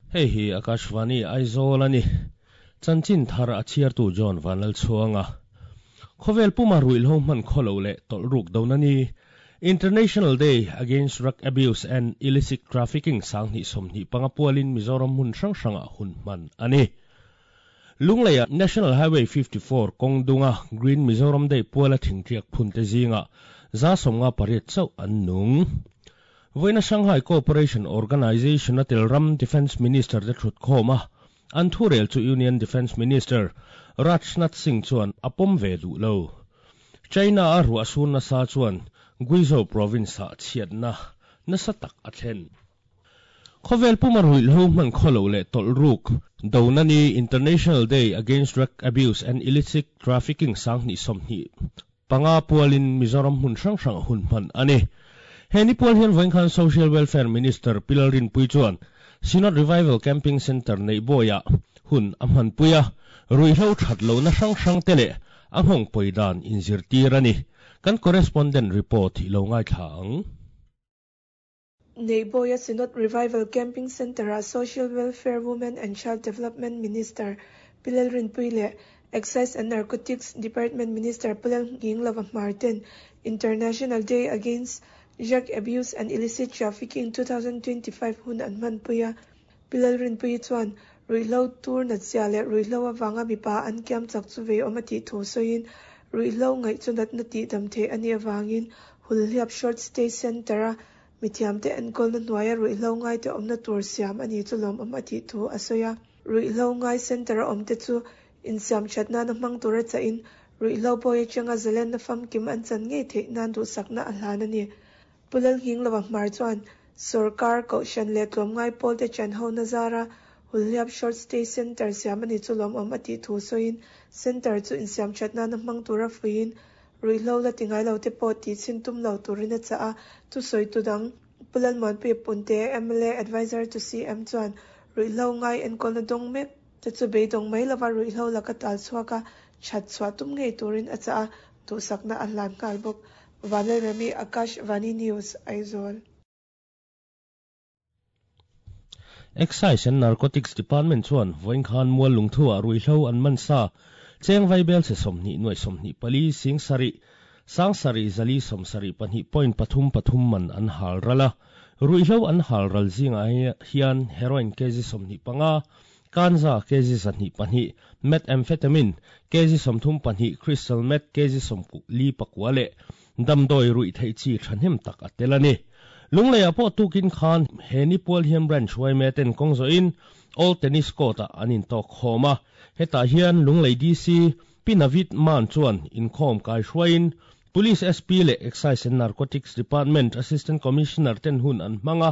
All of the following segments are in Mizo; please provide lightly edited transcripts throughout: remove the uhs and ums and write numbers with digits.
Hei hi Akashvani Aizawl a ni. Chanchin thar a chhiartu John Vanlalchhuanga. Khawvel puma ruihhlo hman khawlo leh tawlh ruk dona ni International Day Against Drug Abuse and Illicit Trafficking 2025 pualin Mizoram hmun hrang hrangah hun hman a ni. Lungleia National Highway 54 kawng dunga Green Mizoram Day puala thingtliak phunte zingah 58 chauh an nung. Vawiina Shanghai Cooperation Organization a tel ram Defence Minister te thut khawm a, an thurel chu Union Defence Minister Rajnath Singh chuan a pawm ve duh lo. China a ruah sur nasa chuan Guizhou province-ah chhiatna nasa tak a thlen. Khawvel puma ruihhlo hman khawlo leh tawlh ruk dona ni International Day Against Drug Abuse and Illicit Trafficking 2025 pualin Mizoram hmun hrang hrang hun hman a ni. He ni pual hian vawiin khan Social Welfare Minister Pi Lalrinpui chuan Synod Revival Camping Centre neih bawiah hun a hmanpui a, ruihhlo that lohna hrang hrang te leh a nghawng pawi dan inzirtir a ni. Kan correspondent report i lo ngaithla ang. Neihbawia Synod Revival Camping Centre-ah Social Welfare Women and Child Development Minister Pi Lalrinpuii leh Excise and Narcotics Department Minister Pu Lalnghinglova Hmar ten International Day Against Drug Abuse and Illicit Trafficking 2025 hun an hmanpui a. Pi Lalrinpuii chuan ruihhlo tur natzia leh ruihhlo avanga mipa an kiam chak chu vei awm a tih thu sawiin ruihhlo ngaih chu natna tihdam theih a nih avangin Hulhliap Short Stay Centre-a Mithiamte enkawlna hnuaia ruihhlo ngaite awmna tur siam a ni chu lawmawm a tih thu a sawi a. Ruihhlo ngai centre a awmte chu insiam that nana hmang tura chahin ruihhlo bawi atanga zalenna famkim an chan ngei theih nan duhsakna a hlan a ni. Pu Lalnghinglova Hmar chuan sawrkar, kohhran leh tlawmngai pawlte chan hona zara Hulhliap Short Stay Centre siam a ni chu lawmawm a tih thu sawiin centre chu insiam that nana hmang tura fuihin Ruihhlo la ti ngai lo te pawh tih chhin tum lo turin a chah a, thusawi tu dang Pu Lalmuanpuia Punte, mla Adviser to CM chuan ruihhlo ngai enkawlna dawng mek te chu beidawng mai lova ruihhlo laka tal chhuak a that chhuah tum ngei turin a chah a, duhsakna a hlan nghal bawk. Vanlalremi, Akash Vani News, Aizawl. Excise and Narcotics Department chuan vawiin khan mual lungthu-ah ruihhlo an man sa cheng vaibel chhe 20 nuaih 24 sing sarih sang sarih zali 72 point pathum pathum man an hal ral a. Ruihhlo an hal ral zingah hian heroin kg 25, kanza kg 102, methamphetamine kg 32, crystal meth kg 44 leh Damdawi ruih theih chi thahnem tak a tel a ni. Lungleiah pawh tukin khan he ni pual hian branch yma ten kawng zawhin Old Tennis Court ah an intawk khawm a. Hetah hian Lunglei DC Pi Navid Mann chuan inkhawm kai hruaiin Police SP leh Excise and Narcotics Department Assistant Commissioner ten hun an hmang a,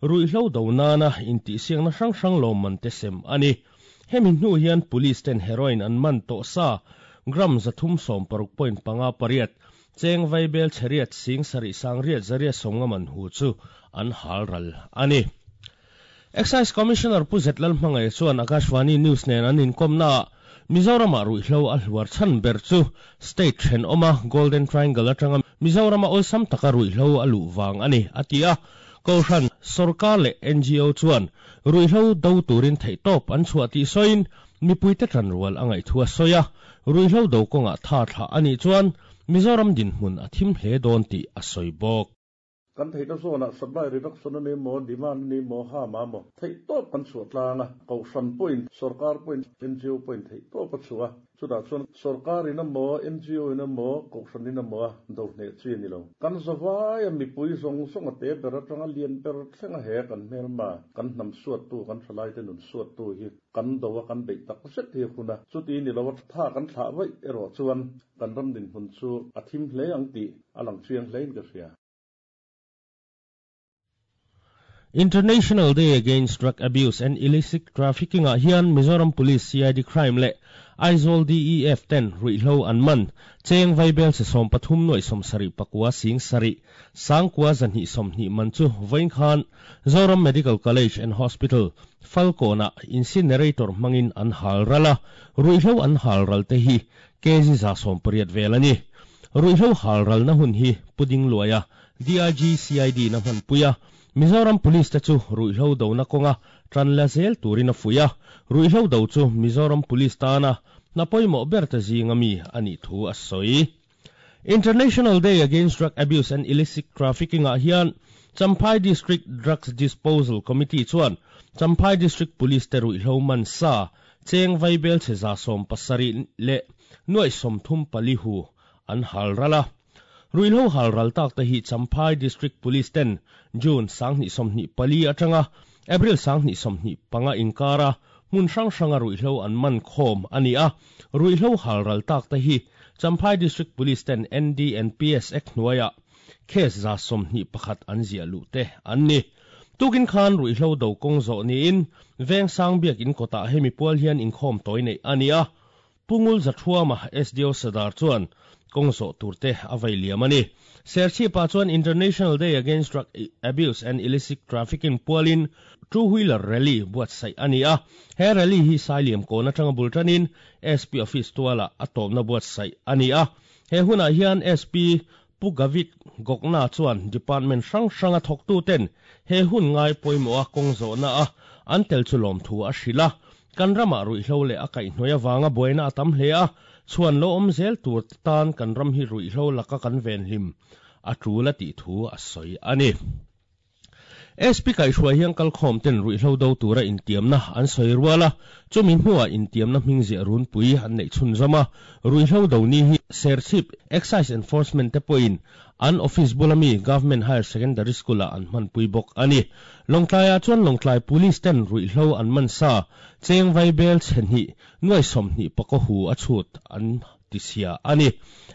ruihhlo do nana intihsiakna hrang hrang lawmman te sem a ni. Hemi hnu hian Police ten heroin an man tawh sa gram 316.58, cheng vaibel chheriat sing sarih sang riat zariat sawmnga man hu chu an hal ral a ni. Excise Commissioner Pu Zet Lalhmangaih chuan Akashvani News nen an inkawmnaah Mizoramah ruihhlo a hluar chhan ber chu state thenawma Golden Triangle atanga Mizorama awlsam taka ruihhlo a luh vang a ni, a ti a. Kohhran, sawrkar leh NGO chuan Ruihhlo do turin theihtawp an chhuah tih sawiin mipuite tanrual a ngaihthu a sawi a, ruihhlo do kawngah tha thlah a nih chuan Mizoram dinhmun a thim hle dawn tih a sawi bawk. Kan theihna zawnah supply reduction a ni maw, demand a ni maw, ham a maw, theihtawp kan chhuah tlang a, Kohhran pawhin, sawrkar pawhin, NGO pawhin theihtawp a chhuah a. Chutah chuan sawrkar in emaw, NGO in emaw, kohhran in emaw a do hneh chi a ni lo. Kan zavai a mipui zawng zawng a te ber atanga lian ber thleng a he kan hmelma, kan hnam suattu, kan thalaite nun suattu hi kan do a kan beih tak zet hi a hun a. Chuti ni lo a tha kan thlah vaih erawh chuan kan ram dinhmun chu a thim hle ang tih a lang chiang hlein ka hria. International Day Against Drug Abuse and Illicit Trafficking ah hian Mizoram Police CID Crime leh Aizawl DEF ten ruihhlo an man cheng vaibel che 13 nuaih 79 sing sarih sangkua 220 man chu vawiin khan Zoram Medical College and Hospital Falkawnah incinerator hmangin an hal ral a, ruihhlo an hal ral te hi kg 180 vel a ni. Ruihhlo hal ralna hun hi Puding Luaia DIG CID na hmanpui a. Mizoram Police te chu ruihhlo dona kawnga tan la zel turin a fuih a, ruihhlo do chu Mizoram Police tana hna pawimawh ber te zinga mi a nih thu a sawi. International Day Against Drug Abuse and Illicit Trafficking ah hian Champhai District Drugs Disposal Committee chuan Champhai District Police te ruihhlo man sa cheng vaibelchhe 77 leh 34 hu an hal ral a. Ruihhlo hal ral tak te hi Champhai District Police ten June 2024 atanga April 2025 inkara hmun hrang hranga ruihhlo an man khawm a ni a. Ruihhlo hal ral tak te hi Champhai District Police ten NDNPS Act hnuaiah case 121 an ziah luh te an ni. Tukin khan ruihhlo do kawng zawh niin Vengsang biak in kawtah hemi pual hian inkhawm tawi neih a ni a. Pungul Zathuama SDO Sadar chuan kawng zawh turte a vei liam a ni. Serchhip-ah chuan International Day Against Drug Abuse and Illicit Trafficking pualin two wheeler rally buatsaih a ni a. He rally hi Sailiam kawn atanga bul tanin SP office tualah a tawpna buatsaih a ni a. He hunah hian SP Pu Gavit Gokna chuan department hrang hranga thawktu ten he hun ngai pawimawh a kawng zawhna a an tel chu lawm thu a hrilh a. Kan ramah ruihhlo leh a kaihhnawih avanga buaina a tam hle a, chhuan lo awm zel tur tan kan ram hi ruihhlo laka kan venhlim a tul a tih thu a sawi a ni. SP kaihhruai hian kalkhawm ten ruihhlo do tura intiamna an sawi rual a, chumi hnuah intiamna hming ziah runpui an neih chhunzawm a. Ruihhlo do ni hi Serchhip Excise Enforcement te pawhin an office bula mi Government Higher Secondary School-ah an hmanpui bawk a ni. Lawngtlaiah chuan Lawngtlai Police ten ruihhlo an man sa cheng vaibel chhe hnih 24 hu a chhut an tisia a ni.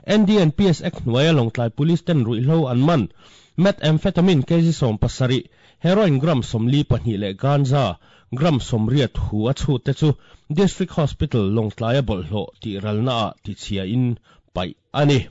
NDNPS Act hnuaia Lawngtlai Police ten ruihhlo an man methamphetamine kg 17, heroin gram 42 leh ganja gram 80 hu a chhut te chu District Hospital Lawngtlaia bawlhhlawh tih ralna ah tichhia in paih a ni.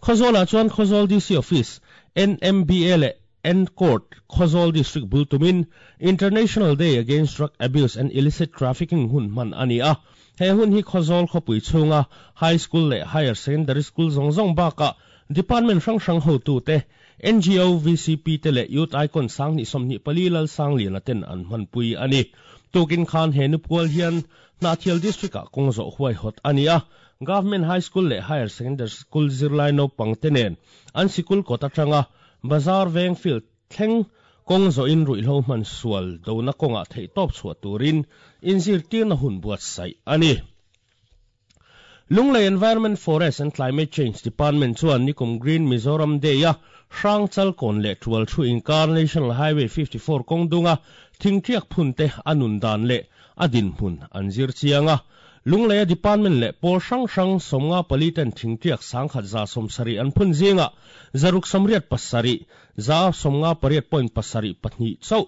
Khawzawlah chuan Khawzawl DC Office, NMBA leh N-Court Khawzawl District bul tumin International Day Against Drug Abuse and Illicit Trafficking hun hman a ni a. He hun hi Khawzawl khawpui chhunga High School leh Higher Secondary School zawng zawng bakah Department hrang hrang hotu te, NGO, VCP te leh Youth Icon 2024 lal Sangliana ten an hmanpui a ni. Tukin khan he nupual hian Hnahthial District-ah kawng zawh huaihawt a ni a. Government High School leh Higher Secondary School zirlai naupang te nen an sikul kawt atanga Bazar veng field thleng kawng zawhin ruihhlo hman sual dona kawngah theih tawp chhuah turin inzirtirna hun buatsaih a ni. Lunglei Environment, Forest and Climate Change Department chuan nikum Green Mizoram Day-a hrang chalkawn leh tual thu inkar National Highway 54 kawng dunga thingtiak phun te a nun dan leh a dinhmun an zir chiang a. Lungleia department leh pawl hrang hrang 54 ten thingtiak 170 an phun zinga 687 58.72 chauh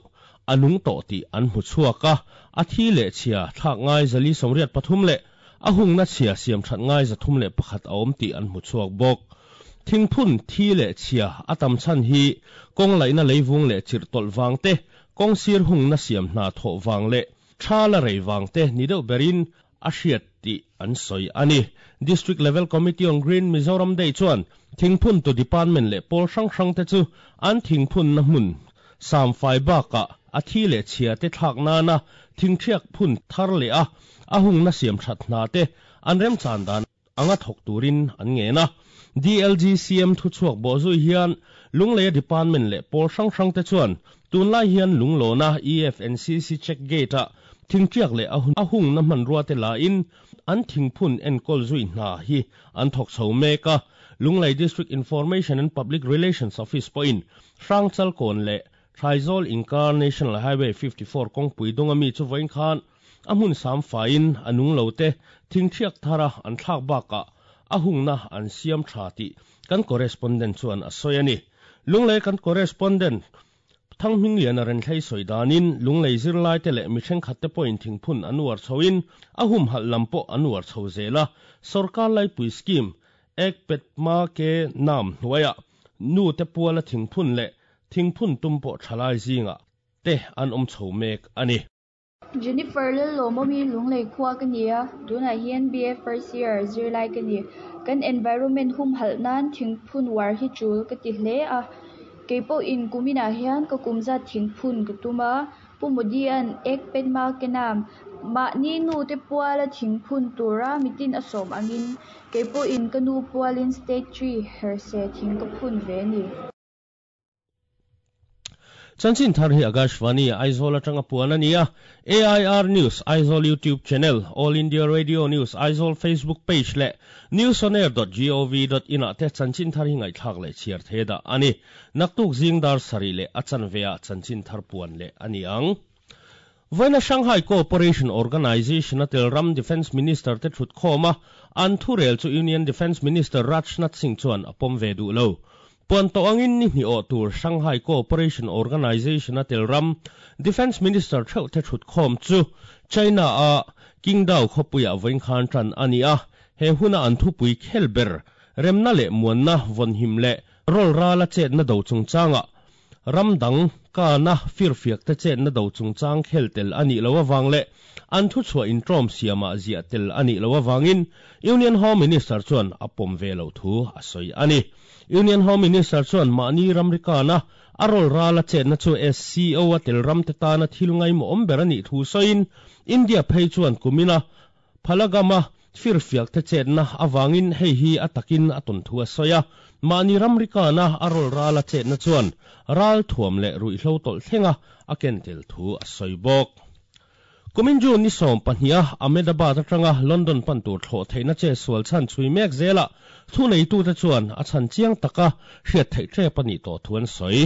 a nung tawh tih an hmu chhuak a. A thi leh chhia thlak ngai 483 leh a hungna chhia siam that ngai 301 a awm tih an hmu chhuak bawk. Thingphun thi leh chhia a tam chan hi kawng laihna leivung leh chirh tawlh wang te, kawng sir hungna siam hna thawh wang leh tha la rei wang te ni deuh berin a hriat tih an sawi a ni. District Level Committee on Green Mizoram Day chuan thingphun tu department leh pawl hrang hrang te chu an thingphun na hmun samfai bakah a thi leh chhia te thlak nana thingthiak phun thar leh a a hungna siam that hna te an rem chan dan anga thawk turin an nge na. DLGCM thu chhuak bo zui hian Lungleia department leh pawl hrang hrang te chuan tunlai hian lunglawna EFNCC check gate a thingtiak leh a hung na hman rua te la in an thingphun enkawl zui hna hi an thawk chho mek a. Lunglei District Information and Public Relations Office pawhin hrang chalkawn leh Thaizol inkar National Highway 54 kawngpui dunga mi chu vawiin khan a hmun sam faiin a nung lo te thingthiak thara an thlak bakah a hungna an siam tha tih kan correspondent chuan a sawi a ni. Lunglei kan correspondent Thanghming lian a ren thlei sawi danin lunglei zirlai te leh mi thenkhat te pawhin thingphun an uar chhoin a hum halh lam pawh an uar chho zel a. Sarkar laipui scheme ek pet ma ke nam hnuaiah nu te puala thingphun leh thingphun tum pawh thalai zinga te an awm chho mek a ni. Jennifer Lalawmawmi Lunglei khua ka ni a, tunah hian BA first year zirlai ka ni. Kan environment hum halh nan thingphun war hi tul ka ti hle a. Kei pawhin kuminah hian ka kum zat thing phun ka tum a, Pu Modi-a'n Ek Ped Maa Ke Naam, mahni nute puala thing phun tura mitin a sawm angin, kei pawhin ka nu pualin State Tree herse thing ka phun ve a ni. Chanchin thar hi Akashvani, Aizawl atanga puan a ni a, AIR News, Aizawl YouTube Channel, All India Radio News, Aizawl Facebook Page leh newsonair dot gov dot in ah te chanchin thar hi ngaihthlak leh chhiar thei dah a ni. Naktuk zing dar sarih leh a chanve ah chanchin thar puan leh a ni ang. Vawiina Shanghai Cooperation Organization a tel ram Defence Minister te thutkhawm a, an thurel chu Union Defence Minister Rajnath Singh chuan a pawm ve duh lo. Puan tawh angin ni hnih awh tur Shanghai Cooperation Organization a tel ram Defence Minister theuh te thutkhawm chu China a Qingdao khawpuiah vawiin khan tan a ni a, he huna an thupui khel ber remna leh muanna vawnhim leh rawl rala chetna do chungchangah Ram dang kana firfiak te chetna do chungchang khel tel a nih loh avang leh an thuchhuah intawm siamah ziah tel a nih loh avangin Union Home Minister chuan a pawm ve loh thu a sawi a ni. Union Home Minister chuan mahni ramri kana a rawl rala chetna chu SCO a tel ram te tana thil ngaimawhawm ber a nih thu sawiin India phei chuan kumina Phalagama firfiak te chetna avangin hei hi a takin a tawn thu a sawi a, mahni ramri kana a rawl rala chetna chuan ral thuam leh ruihhlo tawlh thlenga a ken tel thu a sawi bawk. Kumin June ni 12 a Ahmedabad atanga London pan tur thlawh theihna che sual chhan chhui mek zelah thuneitute chuan a chhan chiang taka hriat theih tep a nih tawh thu an sawi.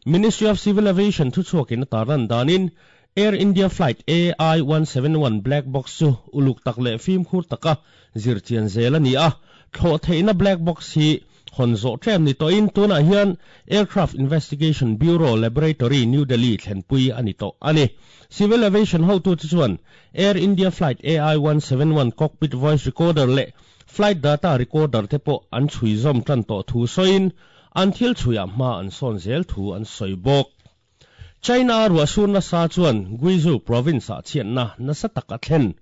Ministry of Civil Aviation thuchhuakin a tarlan danin Air India Flight AI 171 black box chu uluk tak leh fimkhur taka zir chian zel a ni a, thlawh theihna black box hi hawn zawh tlem ni tawhin tunah hian Aircraft Investigation Bureau Laboratory, New Delhi thlenpui a ni tawh a ni. Civil Aviation hotute chuan Air India Flight AI 171 cockpit voice recorder leh flight data recorder te pawh an chhui zawm tan tawh thu sawiin an thil chhuiah hma an sawn zel thu an sawi bawk. China ruahsur nasa chuan Guizhou province-ah chhiatna nasa tak a thlen.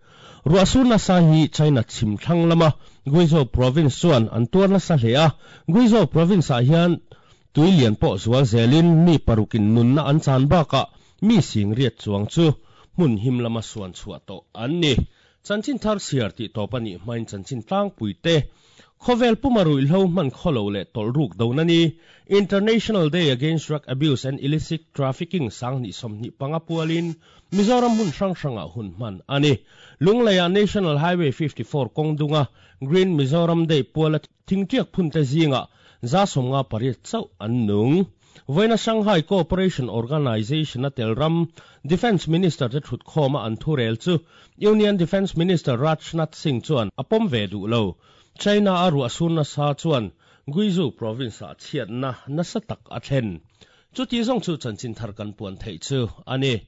Ruahsur nasa hi China chhim thlang lama Guizhou province chuan an tuar nasa hle a, Guizhou province-ah hian tui lian pawh zual zelin mi parukin nunna an chan bakah mi sing riat chuang chu hmun him lama suan chhuah tawh an ni. Chanchin thar chhiar tih tawp a nih hmain chanchin tlangpui te, Khawvel puma ruihhlo hman khawlo leh tawlh ruk dona ni, International Day Against Drug Abuse and Illicit Trafficking 2025 pualin Mizoram hmun hrang hrangah hun hman a ni. Lungleiah National Highway 54 kawng dunga Green Mizoram Day puala thingtiak phunte zingah 58 chauh an nung. Vawiina Shanghai Cooperation Organization a tel ram Defence Minister te thutkhawma an thurel chu Union Defence Minister Rajnath Singh chuan a pawm ve duh lo. China a ruahsur nasa chuan Guizhou province-ah chhiatna nasa tak a thlen. Chuti zawng chu chanchin thar kan puan theih chu a ni.